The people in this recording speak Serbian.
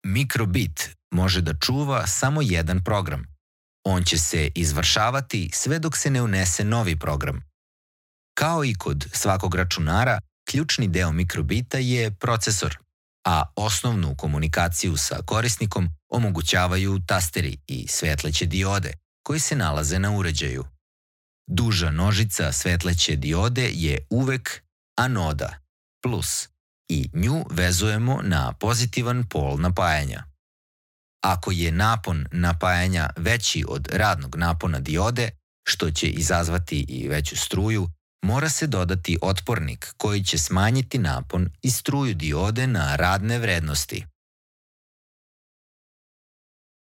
Mikrobit može da čuva samo jedan program. On će se izvršavati sve dok se ne unese novi program. Kao i kod svakog računara, ključni deo mikrobita je procesor, a osnovnu komunikaciju sa korisnikom omogućavaju tasteri i svetleće diode koji se nalaze na uređaju. Duža nožica svetleće diode je uvek anoda, plus, i nju vezujemo na pozitivan pol napajanja. Ako je napon napajanja veći od radnog napona diode, što će izazvati i veću struju, mora se dodati otpornik koji će smanjiti napon i struju diode na radne vrednosti.